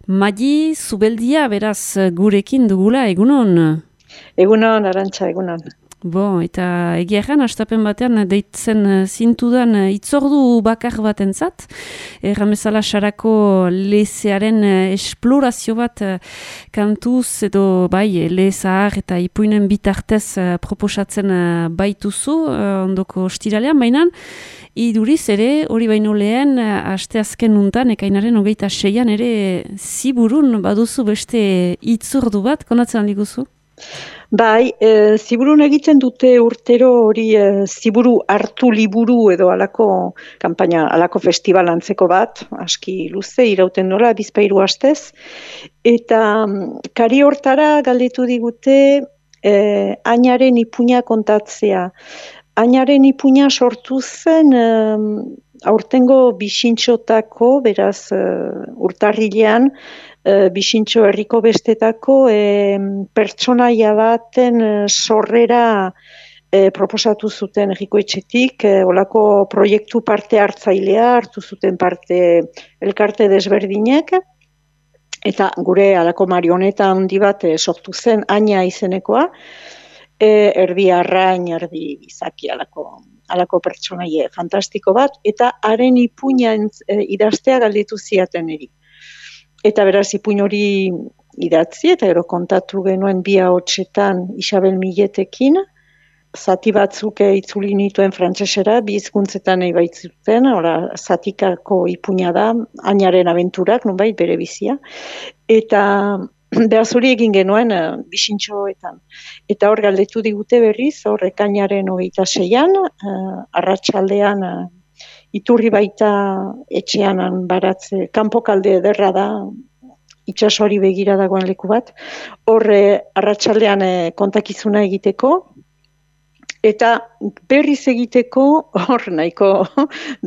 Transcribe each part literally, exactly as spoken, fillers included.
Madi Zubeldia beraz gurekin dugula, egunon? Egunon, Arantxa, egunon. Bo, eta egia erran, astapen batean deitzen zintudan itzordu bakar bat entzat. Erramezala sarako lezearen esplorazio bat kantuz edo bai lezahar eta ipuinen bitartez proposatzen baituzu ondoko ostiralean, baina iduriz ere, hori baino lehen, asteazken nuntan, ekainaren hogeita seian ere ziburun baduzu beste itzordu bat, konatzen handiguzu? Bai, e, ziburun egiten dute urtero hori e, ziburu hartu liburu edo alako kanpaina, alako festival antzeko bat, aski luze, irauten nola, bizpairu astez. Eta kari hortara galdetu digute e, ainaren ipuina kontatzea. Ainaren ipuina sortu zen e, aurtengo bisintxotako, beraz e, urtarrilean, E, Bisintxo herriko bestetako e, pertsonaia baten e, sorrera e, proposatu zuten herriko etxetik, e, olako proiektu parte hartzailea hartu zuten parte elkarte desberdinek, eta gure alako marioneta handi bat e, sortu zen Aina izenekoa, e, erdi arrain, erdi bizaki alako, alako pertsonaie fantastiko bat, eta haren ipuina e, idaztea galdetu ziaten eri. Eta beraz ipuin hori idatzi, eta gero kontatu genuen bi ahotsetan Isabel Milletekin, zati batzuk itzuli nituen frantsesera, bi hizkuntzetan nahi baitzuten, ora zatikako ipuina da, Ainaren abenturak, nonbait bere bizia, eta beraz hori egin genuen uh, bisintxoetan. Eta hor galdetu digute berriz, hor ekainaren hogeita seian, uh, arratsaldean uh, Iturri baita etxean baratze, kanpokalde ederra da, itsasoari begira dagoen leku bat, horre arratsaldean kontakizuna egiteko, eta berriz egiteko, hor nahiko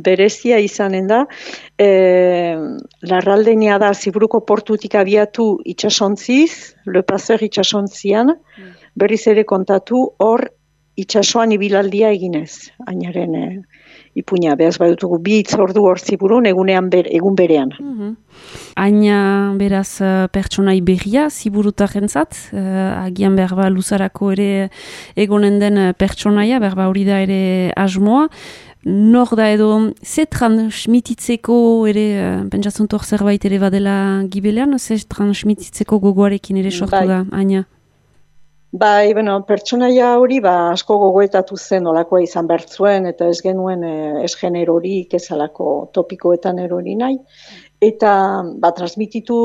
berezia izanen da, e, larraldenia da Ziburuko portutik abiatu itsasontziz, Le Paseur itsasontzian, berriz ere kontatu hor itsasoan ibilaldia eginez, Ainaren e, ipuina, behaz badutugu bi itzordu hor ziburun egunean ber, egun berean. Mm-hmm. Aina beraz pertsonai berria ziburutarentzat, uh, agian berba luzarako ere egonen den pertsonaia, berba hori da ere asmoa. Nor da edo, ze transmititzeko ere, uh, pentsatzen hor zerbait ere badela gibelean, ze transmititzeko gogoarekin ere sortu da, Aina? Bai, bueno, pertsonaia hori ba, asko gogoetatu zen olakoa izan bertzuen, eta ez genuen eh, ez generorik, ez alako topikoetan erori nahi. Eta ba, transmititu,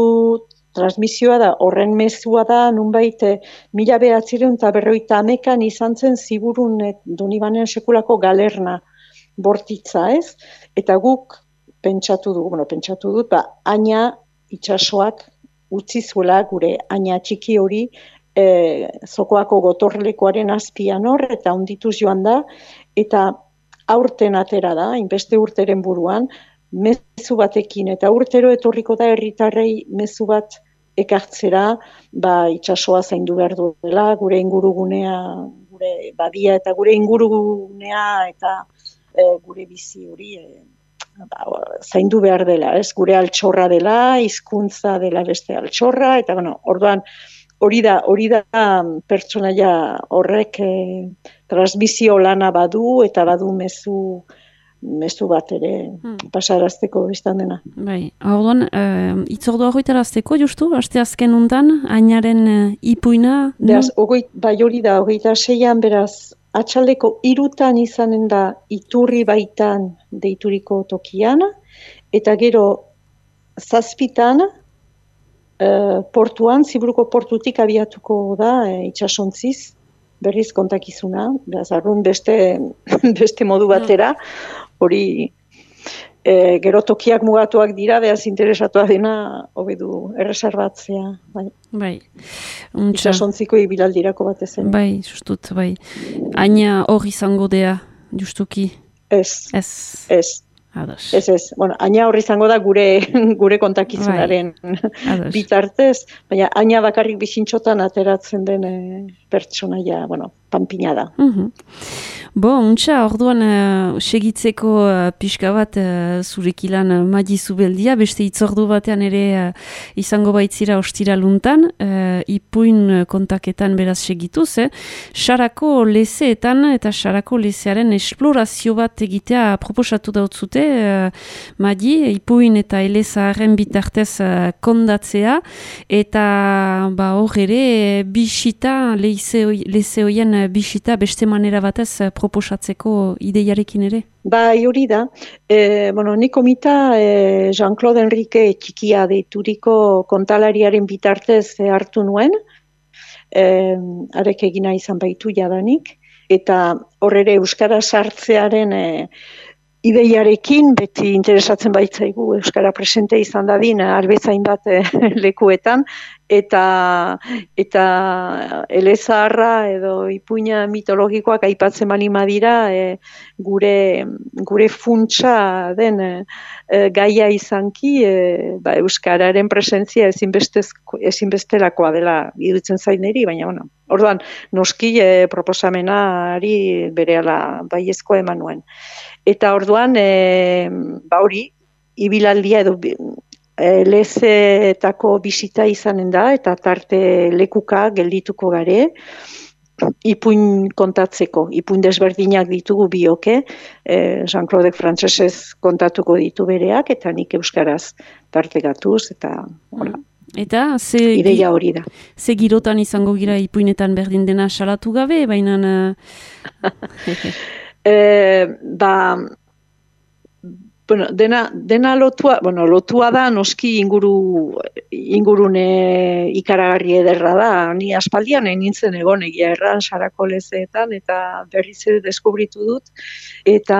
transmisioa da, horren mezua da, nunbait, eh, mila behatzireun eta berroita hamekan izan zen ziburun eh, Donibanen sekulako galerna bortitza, ez? Eta guk pentsatu dugu, bueno, pentsatu dut, ba, Aina itsasoak utzi zuela gure Aina txiki hori, E, zokoako gotorlekoaren azpian hor, eta ondituz joan da, eta aurten atera da, inbeste urteren buruan, mezu batekin, eta urtero etorriko da herritarrei mezu bat ekartzera, ba, itsasoa zaindu behar duela, gure ingurugunea, gure badia, eta gure ingurugunea, eta e, gure bizi hori, e, ba, zaindu behar dela, ez? Gure altxorra dela, hizkuntza dela beste altxorra, eta bueno, orduan, Hori da, hori da pertsonaia horrek eh, transmisio lana badu eta badu mezu mezu bat ere hmm. pasarazteko bestan dena. Bai, orduan, uh, itzordua hogeitarazteko justu, aste azken untan, Ainaren uh, ipuina? Beraz, ogoi, bai hori da, hogeita seian, beraz, atxaldeko irutan izanen da Iturri baitan deituriko tokian, eta gero zazpitan, Uh, portuan, Ziburuko portutik abiatuko da, e, itsasontziz, berriz kontakizuna, beraz, arrun beste, beste modu batera, hori e, gero tokiak mugatuak dira, beraz interesatuak dena, hobedu erreserbatzea. Bai. Bai. Itsasontziko ibilaldirako bat ezen. Bai, justut, bai. Aina hor izango dea, justuki? Ez, ez. ez. Ados. Ez ez, bueno, Aina hor izango da gure gure kontakizunaren bitartez, baina Aina bakarrik bisintxotan ateratzen den e, pertsonaia, bueno, panpina da. Mhm. Bo, untxa, orduan uh, segitzeko uh, pixka bat uh, zurekilan uh, Madi Zubeldia, beste itzordu batean ere uh, izango baitzira ostira luntan, uh, ipuin kontaketan beraz segituz, eh? Sarako lezeetan eta Sarako lezearen esplorazio bat egitea proposatu dautzute, uh, Madi, ipuin eta elezaharren bitartez uh, kondatzea, eta ba, hor ere bisita, leze hoien bisita beste manera batez uh, proposatzeko ideiarekin ere? Bai, hori da. E, bueno, ni komita e, Jean-Claude Henrique txikia deituriko kontalariaren bitartez e, hartu nuen, e, arek egina izan baitu jadanik, eta hor ere Euskara sartzearen e, ideiarekin beti interesatzen baitzaigu Euskara presente izan dadin arbezain bat e, lekuetan, eta eta elezaharra edo ipuina mitologikoak aipatzen bali madira e, gure gure funtsa den e, gaia izanki e, ba, euskararen presentzia ezinbestelakoa dela iruditzen zaineri, baina bueno, orduan noski e, proposamenari berehala baiezkoa eman nuen. Eta orduan e, ba hori ibilaldia edo lezeetako bisita izanen da, eta tarte lekuka geldituko gare, ipuin kontatzeko, ipuin desberdinak ditugu bioke, eh, Jean-Claude frantsesez kontatuko ditu bereak, eta nik euskaraz tartegatuz, eta hola. Eta ze, ideia hori da. Ze girotan izango gira ipuinetan berdin dena salatu gabe, baina... eh, ba... Bueno, dena, dena lotua, bueno, lotua da noski inguru, ingurune ikaragarri ederra da. Ni aspaldian nintzen egon egia erran Sarako lezeetan eta berriz ere deskubritu dut. Eta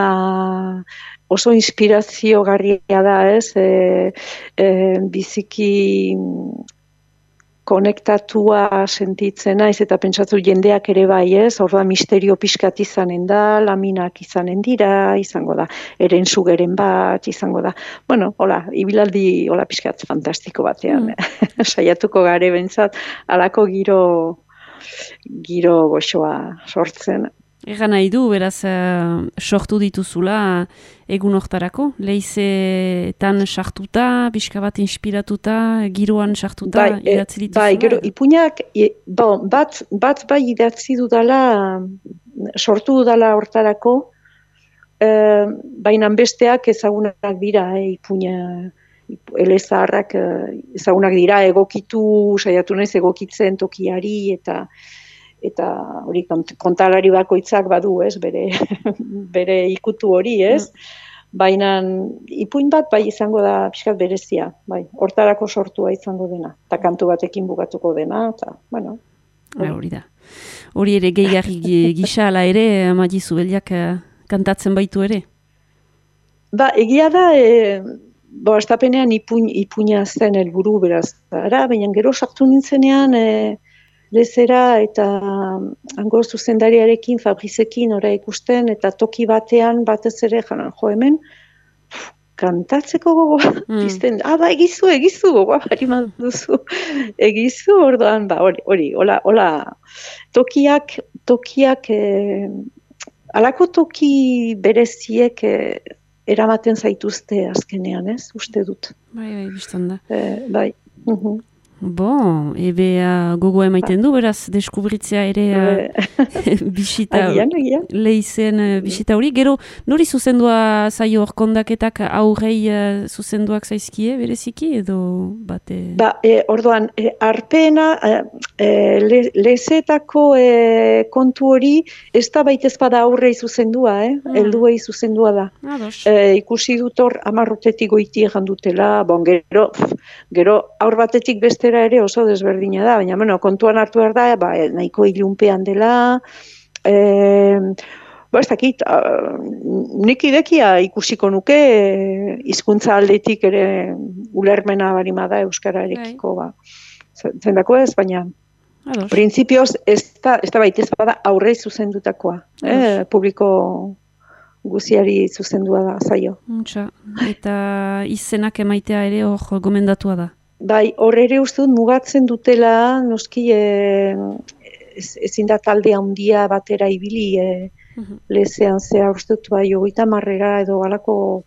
oso inspiraziogarria da, ez? E, e, biziki konektatua sentitzen naiz eta pentsatu jendeak ere bai, ez? Orduan misterio pixkat izanen da, laminak izanen dira, izango da, eren sugeren bat, izango da. Bueno, hola, ibilaldi hola pixkat fantastiko batean, mm. saiatuko gare bentsat, alako giro, giro goxoa sortzen. Egan nahi du, beraz, uh, sortu dituzula egun hortarako? Leizetan sartuta, pixka bat inspiratuta, giroan sartuta, bai, idatzi dituzula? Bai, gero, ipuinak, e, bon, bat, bat bai idatzi dudala, sortu dudala hortarako, e, baina besteak ezagunak dira, e, ipuina, elezaharrak ezagunak dira, egokitu, saiatu naiz egokitzen tokiari, eta eta hori kontalari bakoitzak badu, ez, bere, bere ikutu hori, ez, baina ipuin bat bai izango da pixkat berezia, bai, hortarako sortua izango dena, eta kantu batekin bukatuko dena, eta, bueno. Hori da. Hori ere gehigarri gisa ala ere, Madi Zubeldiak kantatzen baitu ere? Ba, egia da, e, bo, astapenean ipuin, ipuina zen helburu beraz, ara, baina gero sartu nintzenean, e, lezera eta hango zuzendariarekin, Fabrizekin ora ikusten, eta toki batean batez ere janan jo hemen, kantatzeko gogoa, mm. ah, ba, egizu, egizu, gogoa, bari duzu, egizu, orduan, ba, hori, hori, hola, hola, tokiak, tokiak, eh, alako toki bereziek eh, eramaten zaituzte azkenean, ez, uste dut. Bai, bai, biztan da. Eh, bai, uh-huh. Bon, ebe uh, gogo emaiten du, beraz, deskubritzea ere uh, bisita, lehizen uh, bisita hori. Gero, nori zuzendua zaio hor kondaketak aurrei uh, zuzenduak zaizkie, bereziki, edo bate? Ba, e, orduan, e, arpena, e, le, lezetako e, kontu hori, ez da baitez bada aurrei zuzendua, eh? Hmm. Helduei zuzendua da. E, ikusi dut hor, amarrotetik goiti egan dutela, bon, gero, gero, aur batetik beste ere oso desberdina da, baina bueno, kontuan hartu behar da, ba, nahiko ilunpean dela, e, ba, ez dakit, nik idekia ikusiko nuke, e, hizkuntza aldetik ere ulermena barima da euskararekiko, ba, zendako ez, baina Ados. Printzipioz ez da, ez da baitez bada aurrei zuzendutakoa, eh, publiko guziari zuzendua da zaio. Muntxa, eta izenak emaitea ere hor gomendatua da. Bai, hor ere uste dut mugatzen dutela, noski, e, ez, ezin da talde handia batera ibili, e, Mhm. lezean zea uste dut bai, hogeita marrera edo halako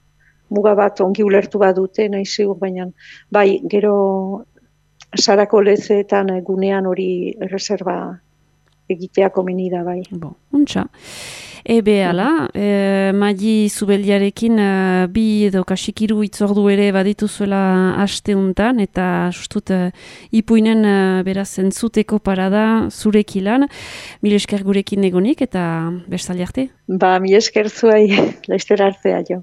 muga bat ongi ulertu badute, nahi zigur, baina bai, gero sarako lezeetan eh, gunean hori erreserba egitea komeni da bai. Bon, untxa. Ebe ala, e, Madi Zubeldiarekin e, bi edo kasikiru itzordu ere badituzuela asteuntan, eta sustut e, ipuinen e, beraz entzuteko parada zurekilan, mil esker gurekin egonik, eta bestaldi arte. Ba, mi esker zuai, laizter artea jo.